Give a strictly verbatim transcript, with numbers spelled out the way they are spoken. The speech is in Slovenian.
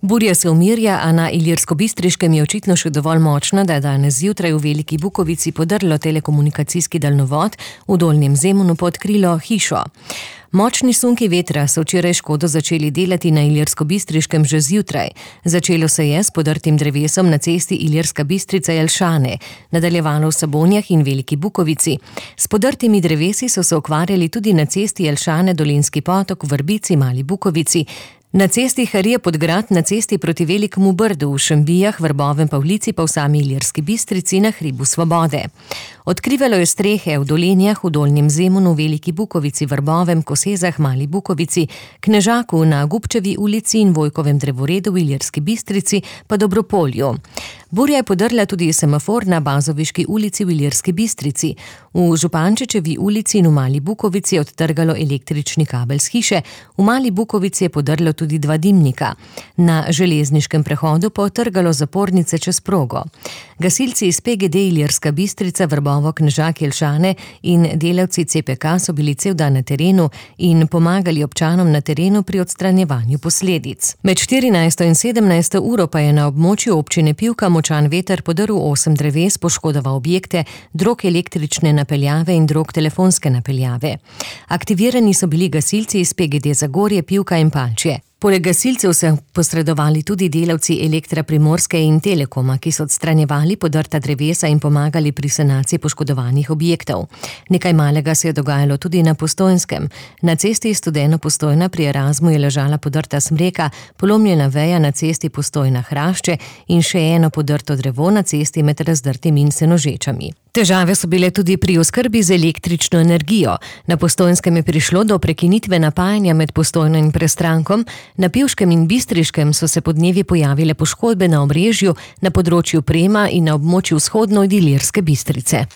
Burja se umirja, a na Ilirskobistriškem je očitno še dovolj močna, da je danes zjutraj v Veliki Bukovici podrlo telekomunikacijski daljnovod, v Dolnjem Zemunu pa odkrilo hišo. Močni sunki vetra so včeraj škodo začeli delati na Ilirskobistriškem že zjutraj. Začelo se je s podrtim drevesom na cesti Ilirska Bistrica-Jelšane, nadaljevalo v Sabonjah in Veliki Bukovici. S podrtimi drevesi so se ukvarjali tudi na cesti Jelšane-Dolenjski potok v Vrbici, Mali Bukovici, na cesti Harije-Podgrad, na cesti proti Velikemu Brdu, v Šembijah, Vrbovem Pavlici pa v sami Ilirski Bistrici na hribu Svobode. Odkrivalo je strehe v Dolenjah, v Dolnjem Zemunu, Veliki Bukovici, Vrbovem, Kosezah, Mali Bukovici, Knežaku na Gubčevi ulici in Vojkovem drevoredu v Ilirski Bistrici pa Dobropolju. Burja je podrla tudi semafor na Bazoviški ulici v Ilirski Bistrici. V Župančičevi ulici in v Mali Bukovici je odtrgalo električni kabel s hiše, v Mali Bukovici je podrlo tudi dva dimnika. Na železniškem prehodu pa odtrgalo zapornice čez progo. Gasilci iz P G D Ilirska Bistrica, Vrbovo, Knežak, Jelšane in delavci C P K so bili cel dan na terenu in pomagali občanom na terenu pri odstranjevanju posledic. Med štirinajsto in sedemnajsto uro pa je na območju občine Pivka močan veter podrl osem dreves, poškodoval objekte, drog električne napeljave in drog telefonske napeljave. Aktivirani so bili gasilci iz P G D Zagorje, Pivka in Palčje. Poleg gasilcev so posredovali tudi delavci Elektra Primorske in Telekoma, ki so odstranjevali podrta drevesa in pomagali pri sanaciji poškodovanih objektov. Nekaj malega se je dogajalo tudi na Postojnskem. Na cesti Studeno-Postojna pri Erasmu je ležala podrta smreka, polomljena veja na cesti Postojna-Hrašče in še eno podrto drevo na cesti med Razdrtim in Senožečami. Težave so bile tudi pri oskrbi z električno energijo. Na Postojnskem je prišlo do prekinitve napajanja med Postojno in Prestrankom, na Pivškem in Bistriškem so se podnevi pojavile poškodbe na omrežju, na področju Prema in na območju vzhodno od Ilirske Bistrice.